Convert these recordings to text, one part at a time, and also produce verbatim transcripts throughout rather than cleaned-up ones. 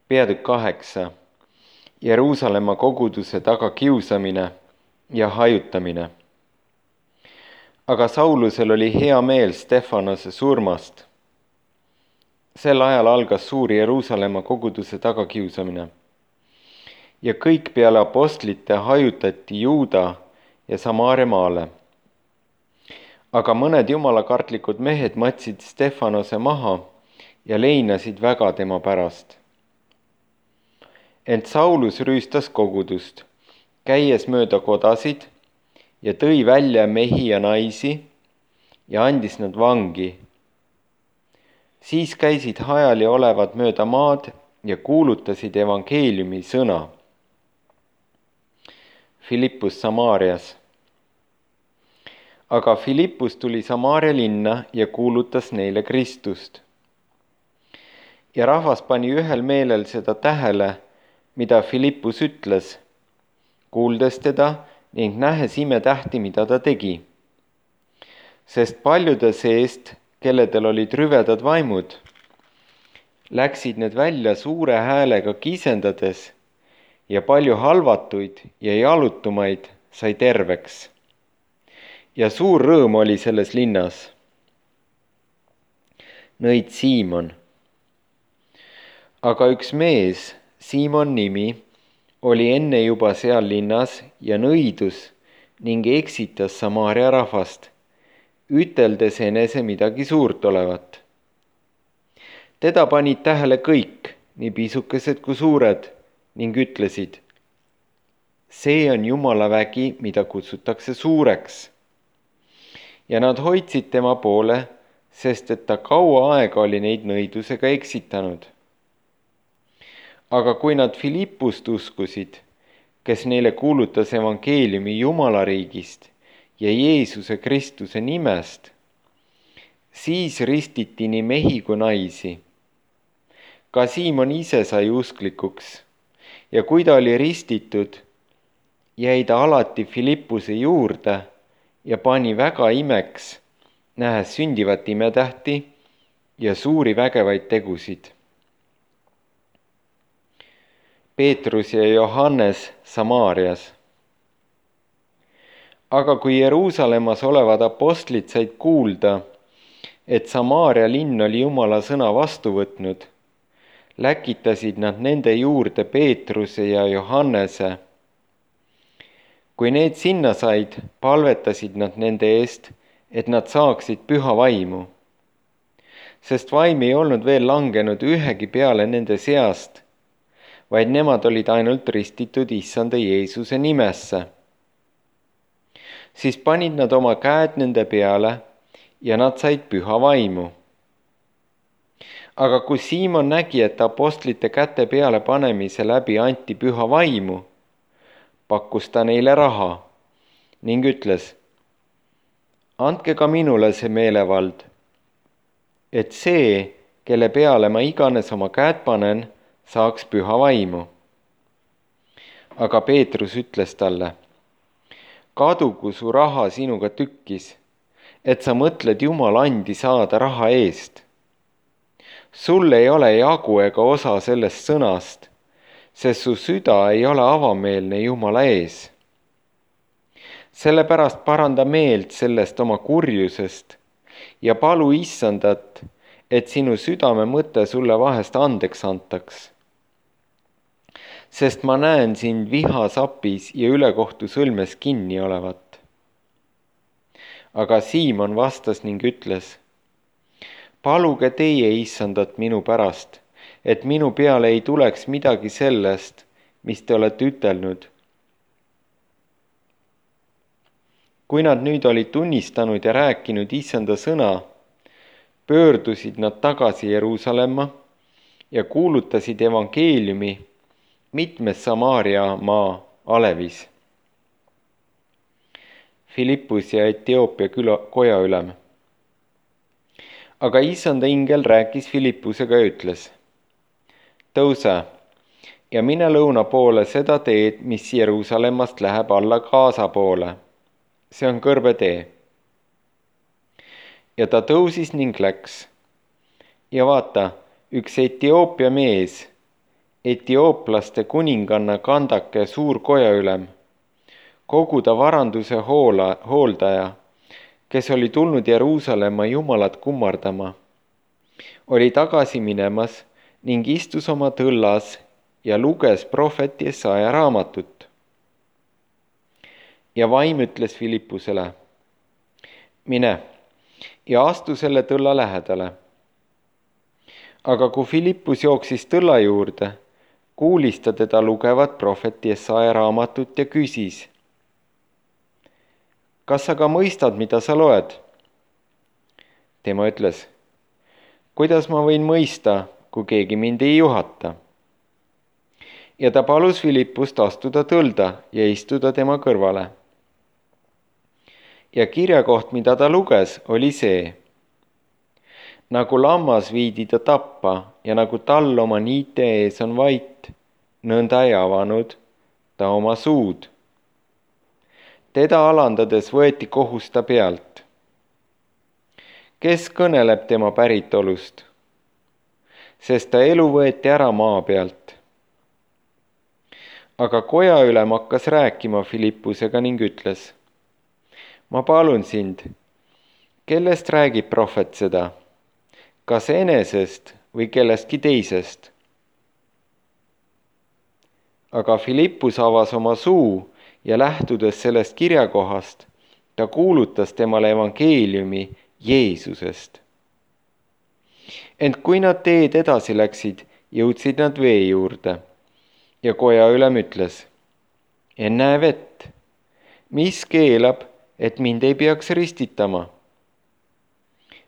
Peatükk kaheksa. Jeruusalemma koguduse tagakiusamine ja hajutamine. Aga Saulusel oli hea meel Stefanose surmast. Sel ajal algas suur Jeruusalemma koguduse tagakiusamine. Ja kõik peale apostlite hajutati Juuda ja Samaaria maale. Aga mõned jumalakartlikud mehed matsid Stefanose maha ja leinasid väga tema pärast. Ent Saulus rüüstas kogudust, käies mööda kodasid ja tõi välja mehi ja naisi ja andis nad vangi. Siis käisid hajali olevad mööda maad ja kuulutasid evangeeliumi sõna. Filippus Samaarias. Aga Filippus tuli Samaaria linna ja kuulutas neile Kristust. Ja rahvas pani ühel meelel seda tähele, mida Filippus ütles, kuuldes teda ning nähes imetähti, mida ta tegi. Sest paljude seest, kelledel olid rüvedad vaimud, läksid need välja suure häälega kisendades ja palju halvatuid ja jalutumaid sai terveks. Ja suur rõõm oli selles linnas. Nõid Siimon. Aga üks mees, Siimon nimi, oli enne juba seal linnas ja nõidus ning eksitas Samaaria rahvast, üteldes enese midagi suurt olevat. Teda panid tähele kõik, nii pisukesed kui suured, ning ütlesid, see on Jumala vägi, mida kutsutakse suureks. Ja nad hoidsid tema poole, sest et ta kaua aega oli neid nõidusega eksitanud. Aga kui nad Filippust uskusid, kes neile kuulutas evangeeliumi Jumala riigist ja Jeesuse Kristuse nimest, siis ristiti nii mehi kui naisi. Ka Siimon ise sai usklikuks ja kui ta oli ristitud, jäi ta alati Filippuse juurde ja pani väga imeks, nähes sündivat imetähti ja suuri vägevaid tegusid. Peetrus ja Johannes Samaarias. Aga kui Jeruusalemmas olevad apostlid said kuulda, et Samaaria linn oli Jumala sõna vastu võtnud, läkitasid nad nende juurde Peetruse ja Johannese. Kui need sinna said, palvetasid nad nende eest, et nad saaksid püha vaimu. Sest vaim ei olnud veel langenud ühegi peale nende seast, vaid nemad olid ainult ristitud issanda Jeesuse nimesse. Siis panid nad oma käed nende peale ja nad said püha vaimu. Aga kui Siimon nägi, et apostlite käte peale panemise läbi anti püha vaimu, pakkus ta neile raha ning ütles, andke ka minule see meelevald, et see, kelle peale ma iganes oma käed panen, saaks püha vaimu. Aga Peetrus ütles talle, kadugu su raha sinuga tükkis, et sa mõtled Jumala andi saada raha eest. Sul ei ole jagu ega osa sellest sõnast, sest su süda ei ole avameelne Jumala ees. Sellepärast paranda meelt sellest oma kurjusest ja palu issandat, et sinu südame mõte sulle vahest andeks antaks. Sest ma näen sind vihasapis ja ülekohtu sõlmes kinni olevat. Aga Siimon vastas ning ütles, paluge teie issandat minu pärast, et minu peale ei tuleks midagi sellest, mis te olete ütelnud. Kui nad nüüd olid tunnistanud ja rääkinud issanda sõna, pöördusid nad tagasi Jeruusalemma ja kuulutasid evangeeliumi mitmes Samaaria maa alevis. Filippus ja Etioopia küla, koja ülem. Aga issanda ingel rääkis Filippusega ja ütles, tõuse ja mine lõuna poole seda teed, mis Jeruusalemmast läheb alla Gaza poole. See on kõrbetee. Ja ta tõusis ning läks. Ja vaata, üks Etioopia mees, etiooplaste kuninganna Kandake suur kojaülem, kogu ta varanduse hoola, hooldaja, kes oli tulnud Jeruusalemma Jumalat kummardama, oli tagasi minemas ning istus oma tõllas ja luges prohvet Jesaja raamatut. Ja vaim ütles Filippusele, mine ja astu selle tõlla lähedale. Aga kui Filippus jooksis tõlla juurde, kuulis ta teda lugevat prohvet Jesaja raamatut ja küsis, kas sa ka mõistad, mida sa loed? Tema ütles, kuidas ma võin mõista, kui keegi mind ei juhata? Ja ta palus Filippust astuda tõlda ja istuda tema kõrvale. Ja kirjakoht, mida ta luges, oli see. Nagu lammas viidi ta tappa ja nagu tall oma niite ees on vait, nõnda ei avanud ta oma suud. Teda alandades võeti kohus ta pealt. Kes kõneleb tema päritolust? Sest ta elu võeti ära maa pealt. Aga kojaülem hakkas rääkima Filippusega ning ütles, ma palun sind, kellest räägib prohvet seda? Kas enesest või kellestki teisest? Aga Filippus avas oma suu ja lähtudes sellest kirjakohast, ta kuulutas temale evangeeliumi Jeesusest. Ent kui nad teed edasi läksid, jõudsid nad vee juurde ja kojaülem ütles, ennäe vett, mis keelab, et mind ei peaks ristitama?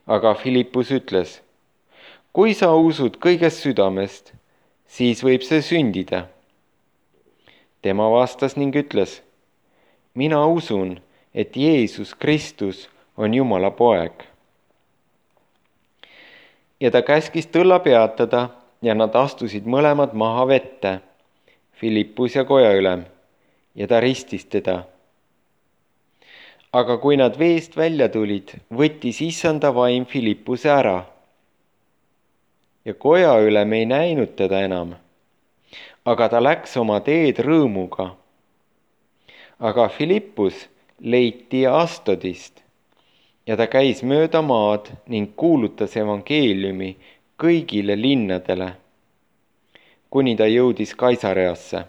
Aga Filippus ütles, kui sa usud kõigest südamest, siis võib see sündida. Tema vastas ning ütles, mina usun, et Jeesus Kristus on Jumala poeg. Ja ta käskis tõlla peatada ja nad astusid mõlemad maha vette, Filippus ja kojaülem, ja ta ristis teda. Aga kui nad veest välja tulid, võttis issanda vaim Filippuse ära. Ja kojaülem ei näinud teda enam, aga ta läks oma teed rõõmuga. Aga Filippus leiti Astodist ja ta käis mööda maad ning kuulutas evangeeliumi kõigile linnadele, kuni ta jõudis Kaisareasse.